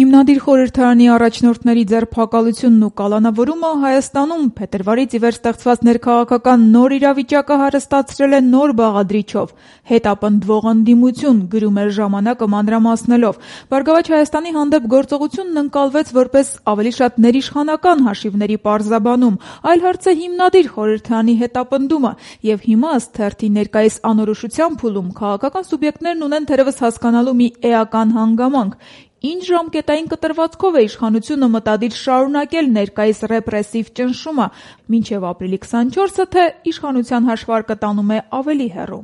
Հիմնադիր խորհրդարանի առաջնորդների ձերբակալությունն ու կալանավորումը Հայաստանում փետրվարից ի վեր ստեղծված ներքաղաքական նոր իրավիճակը հարստացրել է նոր բաղադրիչով՝ հետապնդվող ընդդիմություն, գրում էր «Ժամանակը» մանրամասնելով։ «Բարգավաճ Հայաստանի» հանդեպ գործողությունն ընկալվեց որպես ավելի շատ ներիշխանական հաշիվների պարզաբանում, այլ հարց է հիմնադիր խորհրդարանի հետապնդումը, եւ հիմա ըստ թերթի ներկայիս անորոշության փուլում քաղաքական սուբյեկտներն ունեն թերևս հասկանալու մի էական հանգամանք. ինչ ժամկետային կտրվածքով է իշխանությունը մտադիր շարունակել ներկայիս ռեպրեսիվ ճնշումը, մինչև ապրիլի 24-ը, թե իշխանության հաշվարկը տանում է ավելի հեռու։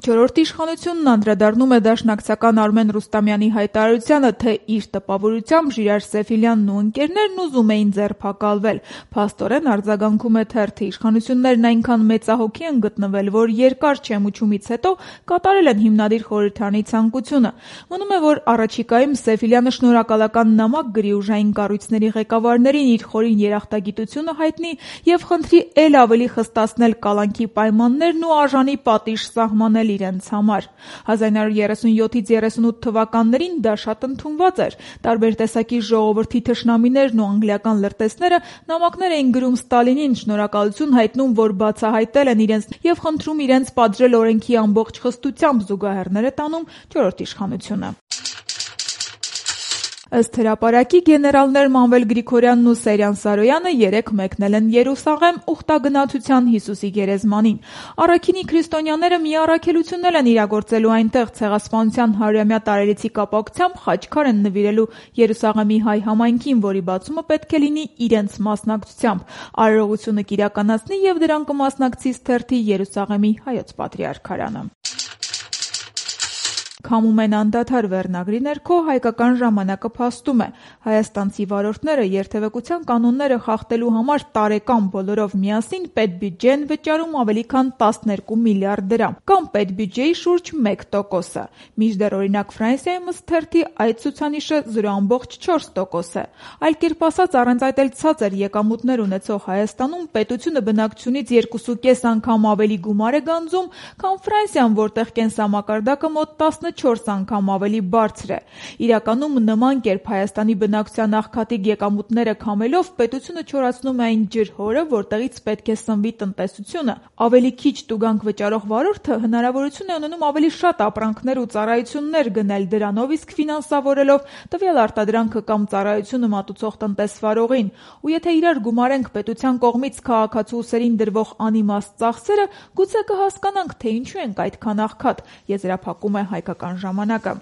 Չորրորդ իշխանությունն անդրադառնում է դաշնակցական Արմեն Ռուստամյանի հայտարարությանը, թե իր տպավորությամբ Ժիրայր Սեֆիլյանն ու ընկերներն ուզում էին ձերբակալվել։ Փաստորեն արձագանքում է թերթը, իշխանություններն այնքան մեծահոգի են գտնվել, որ երկար չեմուչումից հետո կատարել են հիմնադիր խորհրդարանի ցանկությունը։ Մնում է, որ առաջիկայում Սեֆիլյանը շնորհակալական նամակ գրի ուժային կառույցների ղեկավարներին իր խորին երախտագիտությունը հայտնի եւ խնդրի էլ ավելի խստացնել կալանքի պայմաններն ու արժանի պատիժ սահմանել իրենց համար։ 1937-38 թվականներին դա շատ ընդունված էր։ Տարբեր տեսակի ժողովրդի թշնամիներն ու անգլիական լրտեսները նամակներ էին գրում Ստալինին, շնորհակալություն հայտնում, որ բացահայտել են իրենց եւ խնդրում իրենց պատժել օրենքի ամբողջ խստությամբ, զուգահեռներ է տանում չորրորդ իշխանությունը։ Ըստ հրապարակի գեներալներ Մանվել Գրիգորյանն ու Սերյան Սարոյանը երեկ մեկնել են Երուսաղեմ ուխտագնացության Հիսուսի գերեզմանին։ Առաքինի քրիստոնյաները մի առաքելություններ են իրագործելու այնտեղ, ցեղասպանության 100-ամյա տարելիցի կապակցությամբ խաչքար են նվիրելու Երուսաղեմի հայ համայնքին, որի բացումը պետք է լինի իրենց մասնակցությամբ։ Արարողությունը կիրականացնի եւ դրան կմասնակցի թերթի Երուսաղեմի հայոց պատրիարքարանը։ Քամում են անդադար վերնագրի ներքո հայկական ժամանակը փաստում է. հայաստանցի վարորդները երթևեկության կանոնները խախտելու համար տարեկան բոլորով միասին պետբյուջե են վճարում ավելի քան 12 միլիարդ դրամ, կամ պետբյուջեի շուրջ 1%-ը։ Մինչդեռ օրինակ Ֆրանսիայում ըստ թերթի այդ ցուցանիշը 0.4% է։ Այլ կերպ ասած, առանց այդ էլ ցածր եկամուտներ ունեցող Հայաստանում պետությունը բնակչությունից 2.5 անգամ ավելի գումար է գանձում, քան Ֆրանսիան, որտեղ կենսամակարդակը մոտ 14 անգամ ավելի բարձր է։ Իրականում նման կերպ Հայաստանի բնակչության աղքատիկ եկամուտները քամելով պետությունը չորացնում է այն ջրհորը, որտեղից պետք է սնվի տնտեսությունը։ Ավելի քիչ տուգանք վճարող վարորդը հնարավորություն է ունենում ավելի շատ ապրանքներ ու ծառայություններ գնել դրանով, իսկ ֆինանսավորելով տվյալ արտադրանքը կամ ծառայությունը մատուցող տնտեսվարողին։ Ու եթե իրար գումարենք պետության կողմից քաղաքացու ուսերին դրվող անիմաստ ծախսերը, գուցե կհասկանանք, թե ինչու ենք այդքան աղքատ, եզրափակում է հայկական ժամանակը։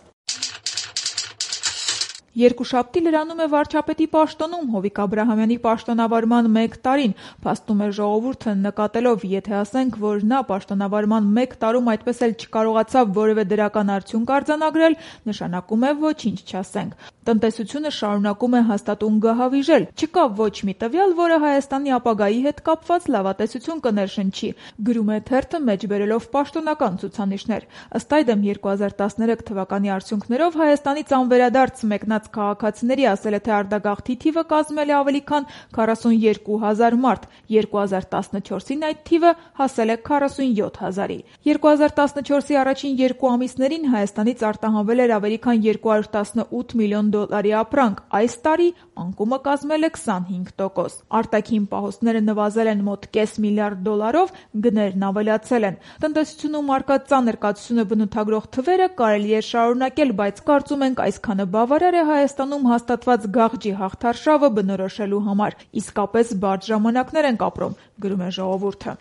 Երկուշաբթի լրանում է վարչապետի պաշտոնում Հովիկ Աբրահամյանի պաշտոնավարման 1 տարին, փաստում է Ժողովուրդը, նկատելով, եթե ասենք, որ նա պաշտոնավարման 1 տարում այդպես էլ չկարողացավ որևէ դրական արդյունք արձանագրել, նշանակում է ոչինչ չասենք։ Տնտեսությունը շարունակում է հաստատուն գահավիժել։ Չկա ոչ մի տվյալ, որը Հայաստանի ապագայի հետ կապված լավատեսություն կներշնչի, գրում է թերթը մեջբերելով պաշտոնական ցուցանիշներ։ Ըստ այդմ 2013 թվականի արդյունքներով Հայաստանից անվերադարձ մեկնած քաղաքացիների ասել է, թե արտագաղթի թիվը կազմել է ավելի քան 42,000 մարդ, 2014-ին այդ թիվը հասել է 47,000-ի։ 2014-ի առաջին 2 ամիսներին Հայաստանից արտահանվել էր ավելի քան 218 միլիոն դոլարի ապրանք, այս տարի անկումը կազմել է 25%։ Արտաքին պահոստները նվազել են մոտ կես միլիարդ դոլարով, գներն ավելացել են։ Տնտեսությունում առկա ծանր կացությունը բնութագրող թվերը կարելի է շարունակել, բայց կարծում ենք այսքանը բավարար է Հայաստանում հաստատված գաղջի հաղթարշավը բնորոշելու համար։ Իսկապես բարդ ժամանակներ ենք ապրում, գրում է Ժողովուրդը։